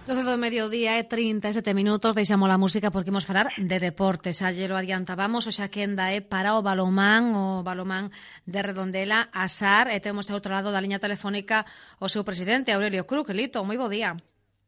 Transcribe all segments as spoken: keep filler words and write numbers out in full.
doce do mediodía e trinta e sete minutos, deixamos a música porque imos falar de deportes. Xa lle lo adiantábamos, hoxe a quenda é para o balomán, o balomán de Redondela, Asar, e temos ao outro lado da liña telefónica o seu presidente, Aurelio Cruz. Lito, moi bo día.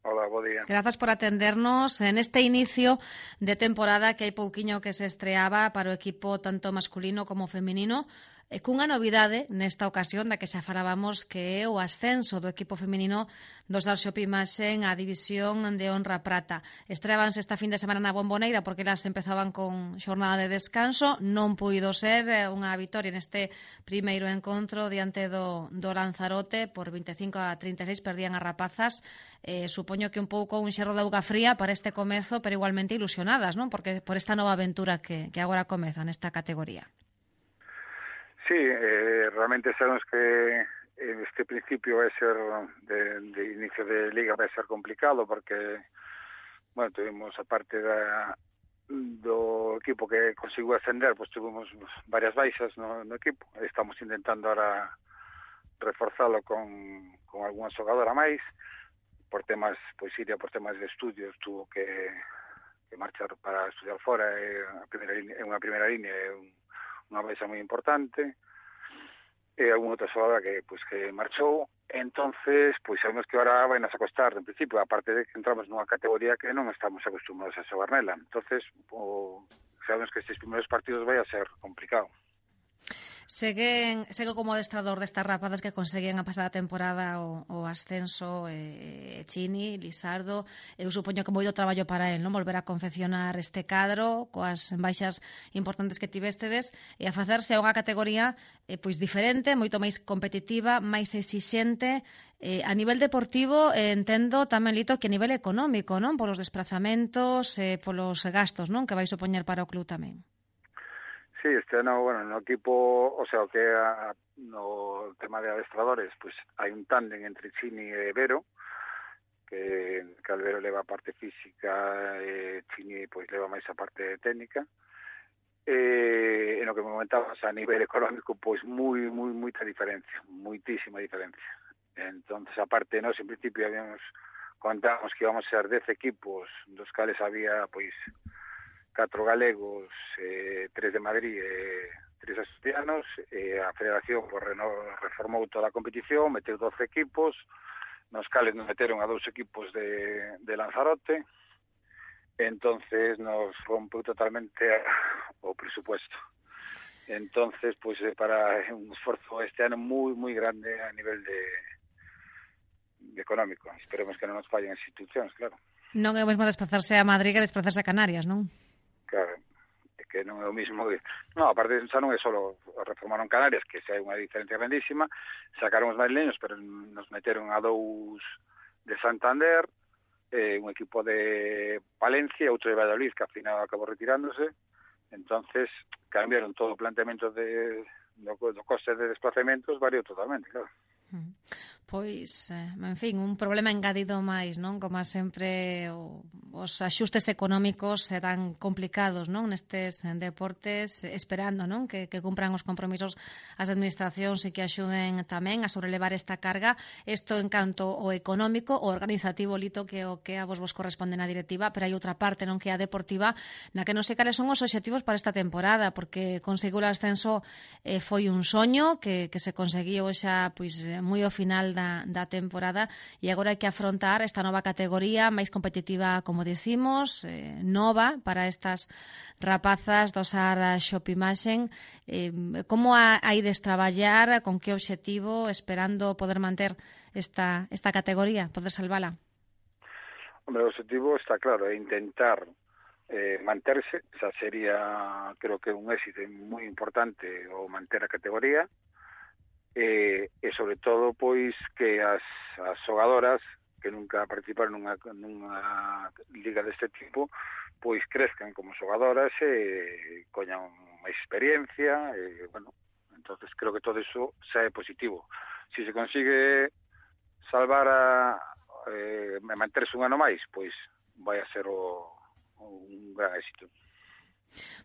Hola, bo día. Grazas por atendernos en este inicio de temporada que hai pouquiño que se estreaba para o equipo tanto masculino como feminino, e cunha novidade nesta ocasión da que xa falábamos, que é o ascenso do equipo feminino do Sar Xopimaxen á división de honra prata. Estreábanse esta fin de semana na Bomboneira porque elas empezaban con xornada de descanso, non puido ser unha vitoria neste primeiro encontro diante do, do Lanzarote por veinticinco a trinta e seis, perdían as rapazas. Eh, supoño que un pouco un xerro de auga fría para este comezo, pero igualmente ilusionadas, non? Porque por esta nova aventura que, que agora comeza nesta categoría. Sí, eh, realmente sabemos que este principio vai ser de, de inicio de liga vai ser complicado porque, bueno, tuvimos a parte da, do equipo que conseguiu ascender, pues tuvimos varias baixas no, no equipo. Estamos intentando ahora reforzalo con, con algunha xogadora máis. Por temas, pois Iria, por temas de estudios, tuvo que, que marchar para estudiar fora, é a primeira línea, é unha primeira línea, é un, unha baixa moi importante, e algún outra xogadora que, pois, que marchou. Entonces, pois sabemos que ahora vai nos a costar, en principio, aparte de que entramos nunha categoría que non estamos acostumados a xogar nela. Entonces, o, sabemos que estes primeiros partidos vai a ser complicado. Seguen, segue como adestrador destas rapadas que conseguían a pasada temporada o, o ascenso eh, Chini, Lisardo. Eu supoño que moito traballo para el, non? Volver a confeccionar este cadro coas baixas importantes que tivestedes e a facerse a unha categoría eh, pois diferente, moito máis competitiva, máis exixente. Eh, a nivel deportivo, eh, entendo tamén, Lito, que a nivel económico, non? Polos desplazamentos, eh, polos gastos, non? Que vai supoñer para o club tamén. Sí, este ano, bueno, no equipo, o sea, o que a, no tema de adestradores, pues hai un tándem entre Chini e Vero, que, que Albero leva a parte física e Chini pois leva máis a parte técnica. E en o que me comentabas a nivel económico, pois moi, moi, moita diferencia, moitísima diferencia. Entonces, aparte, nós en principio habíamos contamos que íbamos a ser dez equipos, dos cales había, pois, catro galegos, eh, tres de Madrid e tres asturianos, e a Federación pues, reformou toda a competición, meteu doce equipos, nos cales nos meteron a dous equipos de, de Lanzarote, entonces nos rompeu totalmente o presupuesto. Entonces, pues para un esforzo este ano moi, moi grande a nivel de, de económico. Esperemos que non nos fallen as institucións, claro. Non é o mesmo desplazarse a Madrid que desplazarse a Canarias, non? Claro, é que non é o mismo. No, aparte xa non é só reformaron Canarias, que xa hai unha diferencia grandísima, sacaron os madrileños, pero nos meteron a dous de Santander, eh, un equipo de Palencia, outro de Valladolid, que ao final acabou retirándose. Entonces, cambiaron todo o planteamento de, do, do coste de desplazamentos, variou totalmente, claro. Pois, en fin, un problema engadido máis, non? Como sempre, o, os axustes económicos serán complicados, non? Nestes deportes, esperando, non? Que, que cumpran os compromisos as administracións e que axuden tamén a sobrelevar esta carga. Isto en canto o económico, o organizativo, Lito, que o que a vos vos corresponde na directiva, pero hai outra parte, non? Que é a deportiva, na que non sei cales son os obxectivos para esta temporada, porque conseguir o ascenso eh, foi un soño que, que se conseguiu xa, pois, moi ao final da, da temporada, e agora hai que afrontar esta nova categoría máis competitiva, como decimos, eh, nova para estas rapazas do Sar Xopimaxen. Eh, como a, a ides traballar, con que obxectivo, esperando poder manter esta, esta categoría, poder salvala? Hombre, o objetivo está claro, é intentar eh, manterse, xa sería, creo que un éxito moi importante o manter a categoría. E, e sobre todo pois que as, as xogadoras que nunca participaron nunha, nunha liga deste tipo pois crezcan como xogadoras e coñan máis experiencia e, bueno, entonces creo que todo iso xa é positivo. Si se consigue salvar a eh, manterse un ano máis, pois vai a ser o, un gran éxito.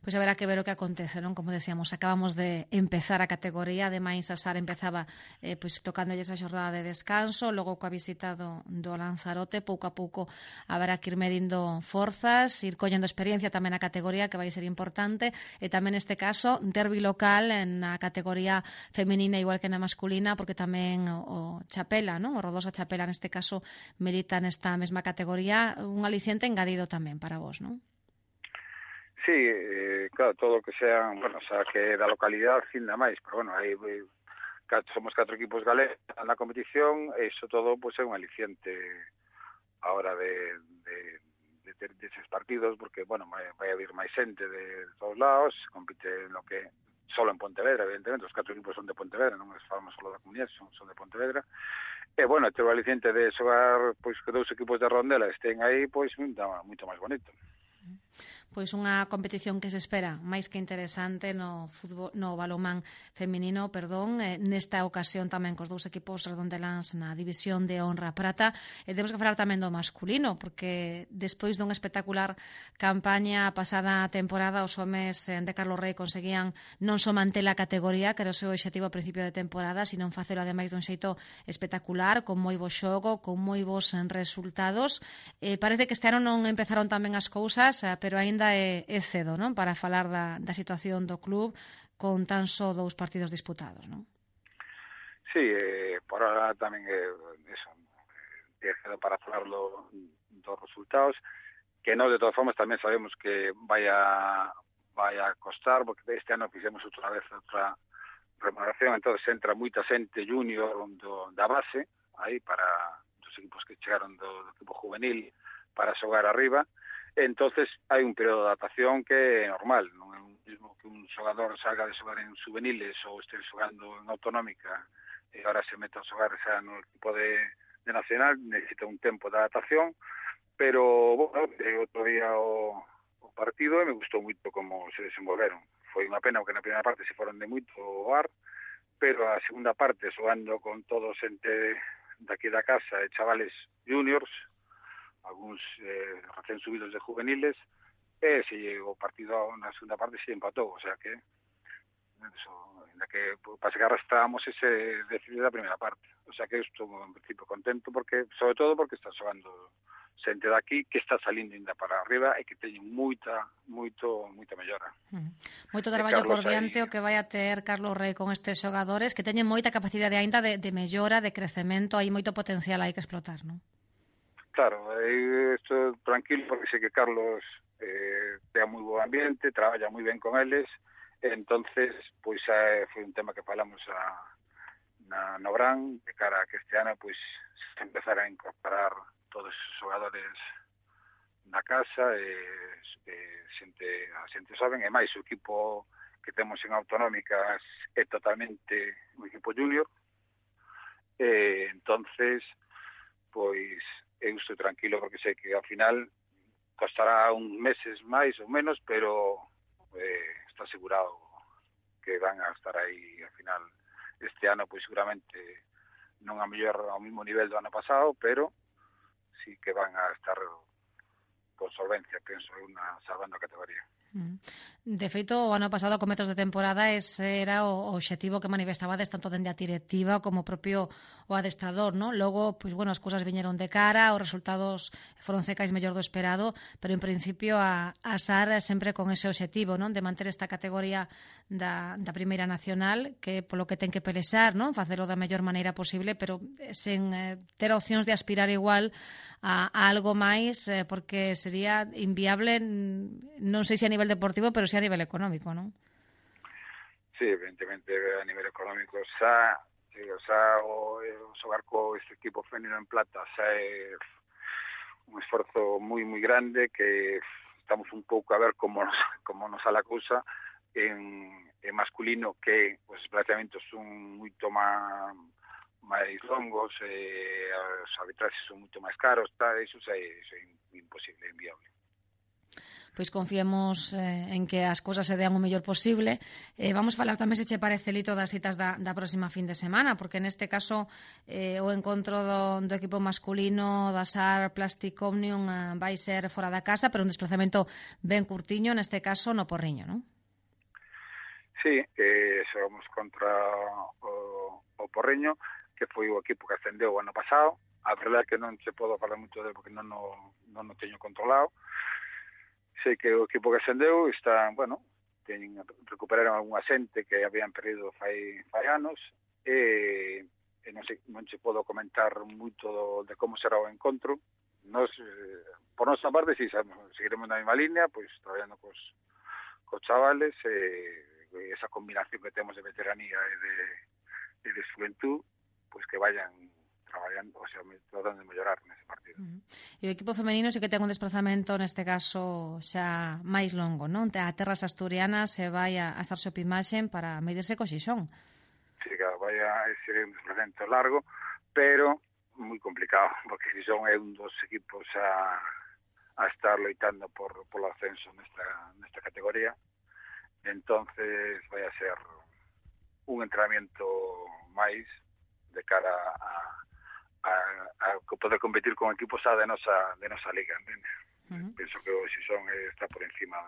Pois haberá que ver o que acontece, non? Como decíamos, acabamos de empezar a categoría, ademais a Sara empezaba eh, pois tocándolle esa xornada de descanso, logo coa visita do, do Lanzarote, pouco a pouco haberá que ir medindo forzas, ir collendo experiencia tamén na categoría, que vai ser importante, e tamén neste caso, derbi local na categoría feminina igual que na masculina, porque tamén o, o Chapela, non? O Rodosa Chapela neste caso milita nesta mesma categoría, un aliciente engadido tamén para vos, non? Sí, eh, claro, todo o que sean, bueno, o sea, que da localidade, ainda máis, pero bueno, aí catro, somos catro equipos galegos na competición, e iso todo pues, é un aliciente a hora de, de, de ter deses partidos, porque, bueno, vai, vai haber máis xente de todos lados, compite no que solo en Pontevedra, evidentemente, os catro equipos son de Pontevedra, non falamos solo da comunidade, son, son de Pontevedra, e, bueno, ter o aliciente de xogar, pois, que dous equipos de Rondela estén aí, pois, moito, moito máis bonito. Pois unha competición que se espera máis que interesante no fútbol, no balonmán feminino, perdón, eh, nesta ocasión tamén cos dous equipos redondeláns na división de honra prata, e temos que falar tamén do masculino, porque despois dunha espectacular campaña pasada temporada, os homes de Carlos Rei conseguían non só manter a categoría, que era o seu objetivo a principio de temporada, sino facelo ademais dun xeito espectacular, con moi bo xogo, con moi bons resultados. Eh, parece que este ano non empezaron tamén as cousas, pero aínda é, é cedo, non? Para falar da, da situación do club con tan só dous partidos disputados, non? Sí, eh, por ahora tamén é eh, eso, é cedo para falar do, dos resultados, que nós de todas formas tamén sabemos que vai a, vai a costar, porque este ano fixemos outra vez outra remuneración, entonces entra moita xente junior do, da base, aí para dos equipos que chegaron do, do equipo juvenil para xogar arriba. Entonces hai un período de adaptación que é normal, non é o mismo que un xogador salga de xogar en juveniles ou este xogando en autonómica e agora se meta a xogar xa no equipo de, de nacional, necesita un tempo de adaptación, pero, bueno, outro día o, o partido e me gustou moito como se desenvolveron. Foi unha pena porque na primeira parte se foron de moito o ar, pero a segunda parte xogando con todos xente daqui da casa e chavales juniors, algúns eh, recén subidos de juveniles, e se o partido na segunda parte se empatou, o sea que eso, ainda que pase que arrastramos ese decidido da primeira parte, o sea que estou en principio contento, porque sobre todo porque está xogando xente daqui que está salindo ainda para arriba e que teñen moita, moito, moita mellora. Mm. Moito traballo por diante aí, o que vai a ter Carlos Rei con estes xogadores que teñen moita capacidade ainda de, de mellora, de crecemento, hai moito potencial aí que explotar, non? Claro, eu estou tranquilo porque sei que Carlos eh, ten moi bo ambiente, traballa moi ben con eles, entonces pois eh, foi un tema que falamos a, na Nobran, de cara a que este ano pois se empezar a incorporar todos os xogadores na casa, e, e xente, a xente saben, e máis o equipo que temos en autonómicas é totalmente un equipo junior, e entonces pois eu estou tranquilo porque sei que ao final costará uns meses máis ou menos, pero eh, está asegurado que van a estar aí ao final este ano, pois seguramente non a mellor ao mesmo nivel do ano pasado, pero sí que van a estar con solvencia, penso, unha salvando a categoría. De feito, o ano pasado, comezos de temporada, ese era o obxectivo que manifestabades tanto dende a directiva como o propio o adestrador, non? Logo, pois, bueno, as cousas viñeron de cara, os resultados foron cecais mellor do esperado, pero en principio a, a S A R sempre con ese obxectivo, non? De manter esta categoría da, da Primeira Nacional, que polo que ten que pelexar, non? Facelo da mellor maneira posible, pero sen eh, ter opcións de aspirar igual a, a algo máis, eh, porque sería inviable, non sei se a nivel deportivo, pero sí a nivel económico, non? Sí, evidentemente a nivel económico xa, o xa o, o xogar co este equipo femenino en plata xa é un esforzo moi moi grande, que estamos un pouco a ver como nos, como nos sale a cousa en, en masculino, que os desplazamentos son moito máis máis longos, e os arbitraxes son moito máis caros, tá, iso xa é, xa é imposible, inviable. Pois confiemos eh, en que as cousas se dean o mellor posible. Eh, vamos falar tamén, se che parece, Lito, das citas da, da próxima fin de semana, porque neste caso eh, o encontro do, do equipo masculino da S A R Plastic Omnium eh, vai ser fora da casa, pero un desplazamento ben curtiño, neste caso no Porriño, non? Sí, eh, xogamos contra o, o Porriño, que foi o equipo que ascendeu o ano pasado. A verdade é que non se podo falar moito dele porque non o, non o teño controlado. Sei que o equipo que ascendeu está, bueno, teñen, recuperaron algunha xente que habían perdido fai, fai anos, e, e non, sei, non se podo comentar moito do, de como será o encontro. Nos, eh, por nosa parte, si sabemos, seguiremos na mesma línea, pois traballando cos, cos chavales, e esa combinación que temos de veteranía e de, e de xuventud, pois que vayan traballando, o sea, tratando de mellorar nese partido. Uh -huh. E o equipo femenino sí que ten un desplazamento neste caso xa máis longo, non? A terras asturianas se vai a, a estar sopimaxen para medirse co Xixón. Sí, claro, vai a ser un desplazamento largo, pero moi complicado, porque Xixón é un dos equipos a, a estar loitando por polo ascenso nesta, nesta categoría. Entonces vai a ser un entrenamiento máis de cara a, a, a poder competir con equipos a de nosa, de nosa liga, entende? Uh -huh. Penso que o Xixón está por encima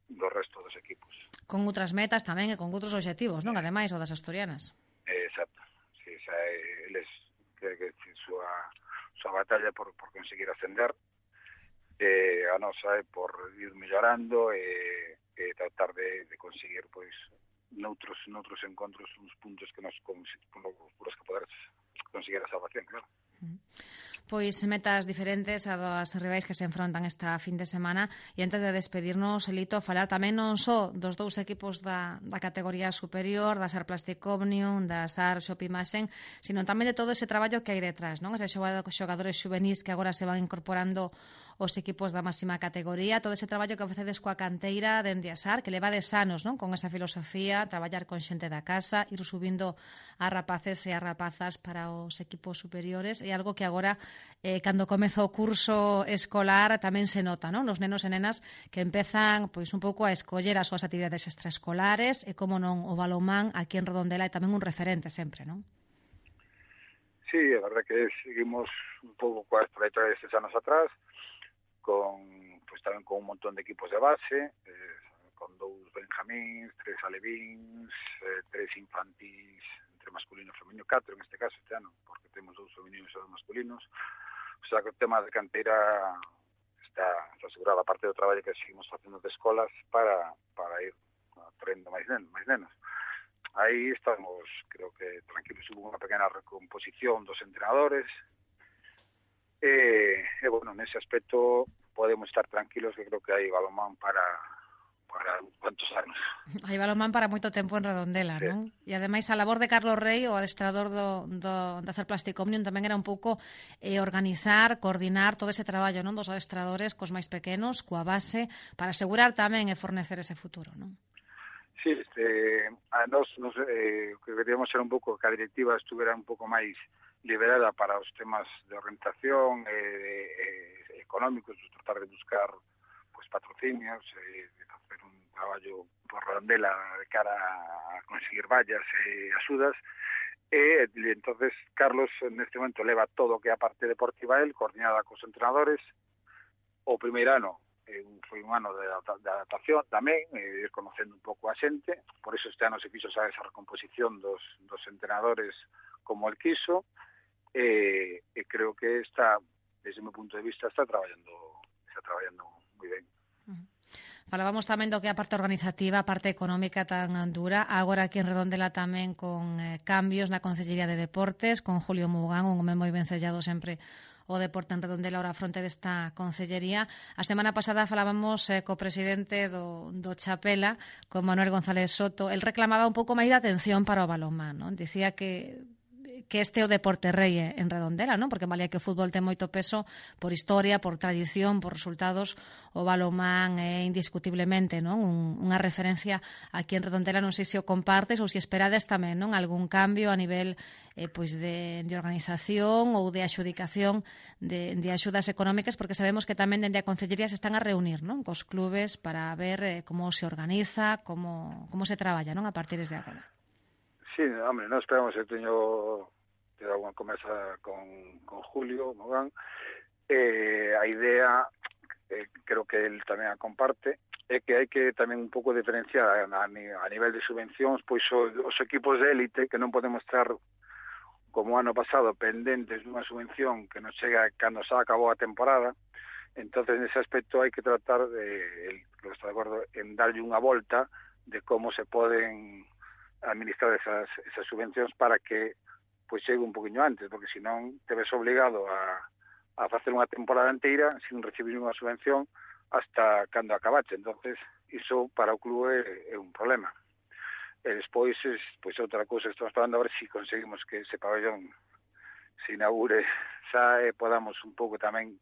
do resto dos equipos. Con outras metas tamén e con outros obxectivos, non? Ademais, o das asturianas. Exacto. Sí, xa, eles que, que súa, súa batalla por, por conseguir ascender, eh, a nosa é por ir mellorando e e tratar de, de conseguir, pois, noutros, noutros encontros uns puntos que nos por os que poder conseguir a salvación, claro. Pois metas diferentes a das rivais que se enfrontan esta fin de semana, e antes de despedirnos, Lito, falar tamén non só dos dous equipos da, da categoría superior, da S A R Plastic Omnium, da S A R Xopimaxen, sino tamén de todo ese traballo que hai detrás, non? Ese xogadores xuvenís que agora se van incorporando os equipos da máxima categoría, todo ese traballo que facedes coa canteira dende a S A R, que leva de anos, non? Con esa filosofía, traballar con xente da casa, ir subindo a rapaces e a rapazas para os equipos superiores, é algo que agora, eh, cando comeza o curso escolar, tamén se nota, non? Os nenos e nenas que empezan, pois, un pouco a escoller as súas actividades extraescolares, e como non, o balonmán aquí en Redondela é tamén un referente sempre, non? Sí, é verdade que seguimos un pouco coa trayectoria destes anos atrás, con, pues, tamén con un montón de equipos de base, eh, con dous benjamíns, tres alevíns, eh, tres infantís, entre masculino e femenino, catro en este caso este ano, porque temos dous femeninos e dous masculinos. O sea, que o tema de canteira está, está asegurado, a parte do traballo que seguimos facendo de escolas para, para ir traendo máis nenos, máis nenos. Aí estamos, creo que tranquilos, hubo unha pequena recomposición dos entrenadores, e, e bueno, nese aspecto podemos estar tranquilos, que creo que hai balonmán para para cuantos anos. Hai balonmán para moito tempo en Redondela, sí, non? E ademais a labor de Carlos Rey, o adestrador do, do, da S A R Plastic Omnium, tamén era un pouco eh, organizar, coordinar todo ese traballo, non, dos adestradores cos máis pequenos, coa base, para asegurar tamén e fornecer ese futuro, non? Sí, este, a nos, nos eh, que queríamos ser un pouco que a directiva estuvera un pouco máis liberada para os temas de orientación e eh, eh, económicos, tratar de buscar pues patrocinios, eh, de facer un traballo por Redondela de cara a conseguir vallas e axudas, e entonces Carlos neste momento leva todo o que é a parte deportiva el, coordinada cos entrenadores. O primeiro ano eh, foi un ano de, de adaptación tamén, eh, ir conocendo un pouco a xente, por eso este ano se fixo esa recomposición dos, dos entrenadores como el quiso, e, e creo que está, desde o meu punto de vista, está traballando está traballando moi ben. Uh-huh. Falábamos tamén do que a parte organizativa, a parte económica tan dura, agora aquí en Redondela tamén con eh, cambios na Consellería de Deportes, con Julio Mugán, un home moi ben sellado sempre o deporte en Redondela ahora a fronte desta consellería. A semana pasada falábamos eh, co presidente do, do Chapela, con Manuel González Soto. El reclamaba un pouco máis de atención para o balonmán, non? Dicía que que este é o deporte rei en Redondela, non? Porque valía que o fútbol ten moito peso por historia, por tradición, por resultados. O balonmán é indiscutiblemente, non? Un, unha referencia aquí en Redondela. Non sei se o compartes ou se esperades tamén, non? Algún cambio a nivel eh, pois de, de organización ou de axudicación de, de axudas económicas, porque sabemos que tamén dende a Concellería se están a reunir, non? Cos clubes para ver eh, como se organiza, como, como se traballa, non? A partir de agora. Sí, hombre, non esperamos, eu teño teño alguna conversa con, con Julio Mogán, eh, a idea, eh, creo que él tamén a comparte, é que hai que tamén un pouco diferenciar a, a, a nivel de subvencións, pois os, os equipos de élite, que non podemos estar como ano pasado pendentes dunha subvención que nos chega cando xa acabou a temporada. Entonces, nese aspecto hai que tratar de, el, creo que está de acordo, en darlle unha volta de como se poden administrar esas, esas subvencións para que pois chegue un poquinho antes, porque senón te ves obligado a, a facer unha temporada inteira sin recibir unha subvención hasta cando acabache. Entonces, iso para o club é, é un problema. E despois, es, pois outra cousa, estamos falando a ver se si conseguimos que ese pabellón se inaugure xa e podamos un pouco tamén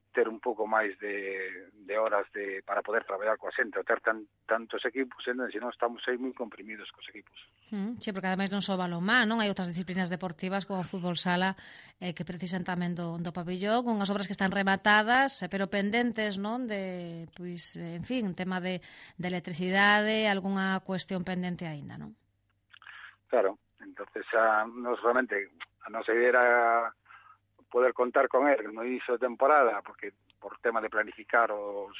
ter un pouco máis de, de horas de para poder traballar coa xente, ou ter tan, tantos equipos, senón estamos aí moi comprimidos cos equipos. Mm, sí, porque ademais non só balonmán, non? Hai outras disciplinas deportivas como o fútbol sala eh, que precisan tamén do, do pabellón, unhas obras que están rematadas, eh, pero pendentes, non? De, pois, en fin, tema de, de electricidade, algunha cuestión pendente aínda, non? Claro, entonces a, nos realmente a nosa idea era poder contar con él no inicio de temporada, porque por tema de planificar os,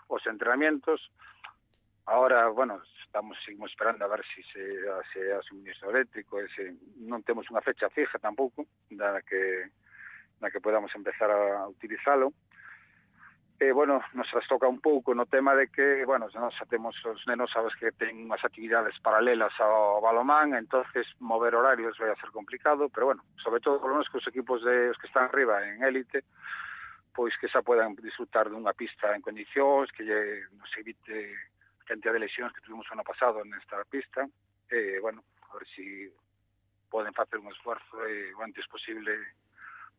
os entrenamientos. Ahora, bueno, estamos seguimos esperando a ver si se se a suministro eléctrico, ese, non temos unha fecha fija tampouco, da que na que podamos empezar a utilizalo. E, bueno, nos toca un pouco no tema de que, bueno, nos temos os nenos, sabes que ten unhas actividades paralelas ao balonmán, entonces mover horarios vai a ser complicado, pero, bueno, sobre todo, por lo menos, que os equipos de, os que están arriba en élite, pois que xa podan disfrutar dunha pista en condicións, que lle, nos evite a cantidad de lesións que tuvimos o ano pasado nesta pista, e, bueno, a ver si poden facer un esforzo e o antes posible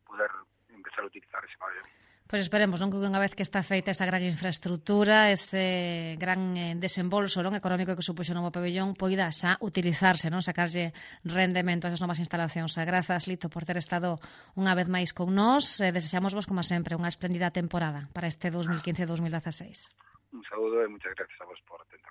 poder empezar a utilizar ese pabellón. Pois esperemos, non, que unha vez que está feita esa gran infraestructura, ese gran eh, desembolso, non, económico que supuxo o novo pabellón, poida xa utilizarse, non, sacarlle rendemento a esas novas instalacións. Grazas, Lito, por ter estado unha vez máis con nós. Eh, desexamos vos, como sempre, unha espléndida temporada para este dos mil quince dos mil dieciséis. Un saúdo e moitas gracias a vos por atentar.